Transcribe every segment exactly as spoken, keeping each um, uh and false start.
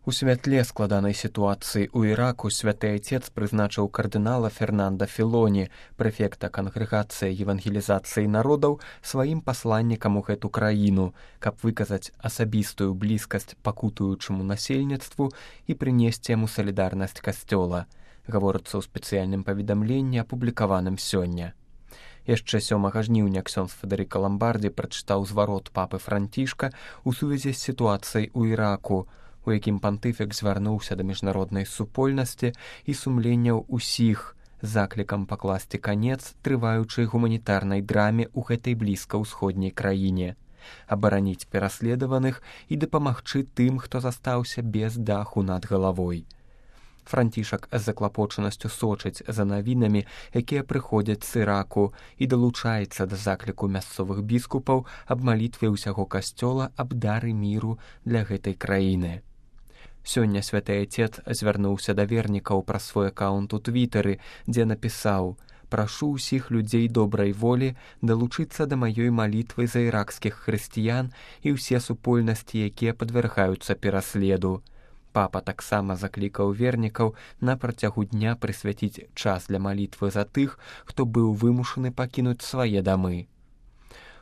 У святле складанай сітуацыі ў Іраку святы айцец прызначыў кардынала Фернанда Філоні, прэфекта кангрэгацыі евангелізацыі народаў, сваім пасланнікам у гэту краіну, каб выказаць асабістую блізкасць пакутуючаму насельніцтву і прынесці яму салідарнасць касцёла, гаворыцца ў спецыяльным паведамленні, апублікаваным сёння. Яшчэ сёмага жніўня ксёндз Федэрыка Ламбардзі прачытаў зварот папы Францішка ў сувязі з сітуацыяй у Іраку, у якім пантыфік звярнуўся да міжнароднай супольнасці і сумленняў усіх з заклікам пакласці канец трываючай гуманітарнай драме ў гэтай блізка-ўсходняй краіне, абараніць пераследаваных і дапамагчы тым, хто застаўся без даху над галавой. Францішак з заклапочанасцю сочыць за навінамі, якія прыходзяць з Іраку, і далучаецца да закліку мясцовых біскупаў аб малітве ўсяго касцёла аб дары міру для гэтай краіны. Сёння святы айцец звярнуўся да вернікаў праз свой акаунт у твітары, дзе напісаў: «Прашу ўсіх людзей добрай волі далучыцца да маёй малітвы за іракскіх хрысціян і ўсе супольнасці, якія падвяргаюцца пераследу». Папа таксама заклікаў вернікаў на працягу дня прысвяціць час для малітвы за тых, хто быў вымушаны пакінуць свае дамы.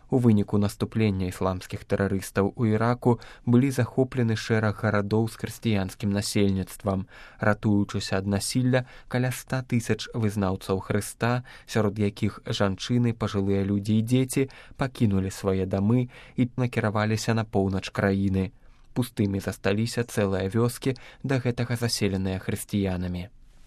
У выніку наступлення ісламскіх тэрарыстаў у Іраку былі захоплены шэраг гарадоў з хрысціянскім насельніцтвам, ратуючыся ад насілля каля ста тысяч вызнаўцаў Хрыста, сярод якіх жанчыны, пажылыя людзі і дзеці пакінулі свае дамы і накіраваліся на поўнач краіны. Пустымі засталіся цэлыя вёскі, да гэтага заселеныя хрысціянамі.